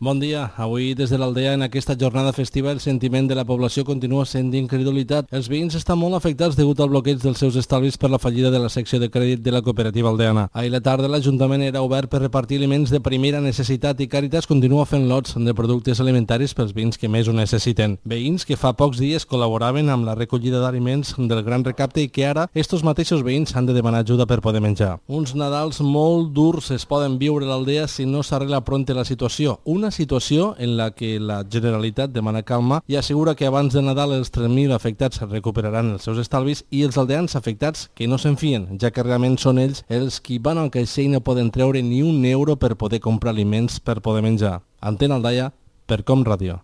Bon dia. Avui, des de l'Aldea, en aquesta jornada festiva, el sentiment de la població continua sent d'incredulitat. Els veïns estan molt afectats degut al bloqueig dels seus estalvis per la fallida de la secció de crèdit de la cooperativa aldeana. Ahir la tarda, l'Ajuntament era obert per repartir aliments de primera necessitat i Càritas continua fent lots de productes alimentaris pels veïns que més ho necessiten. Veïns que fa pocs dies col·laboraven amb la recollida d'aliments del Gran Recapte i que ara estos mateixos veïns han de demanar ajuda per poder menjar. Uns Nadals molt durs es poden viure a l'Aldea si no s'arregla prompte la situació. Una situació en la que la Generalitat demana calma i assegura que abans de Nadal els 3.000 afectats recuperaran els seus estalvis i els aldeans afectats que no se'n fien, ja que realment són ells els qui van al caixer i no poden treure ni un euro per poder comprar aliments per poder menjar. Antena Aldaia, per Com Ràdio.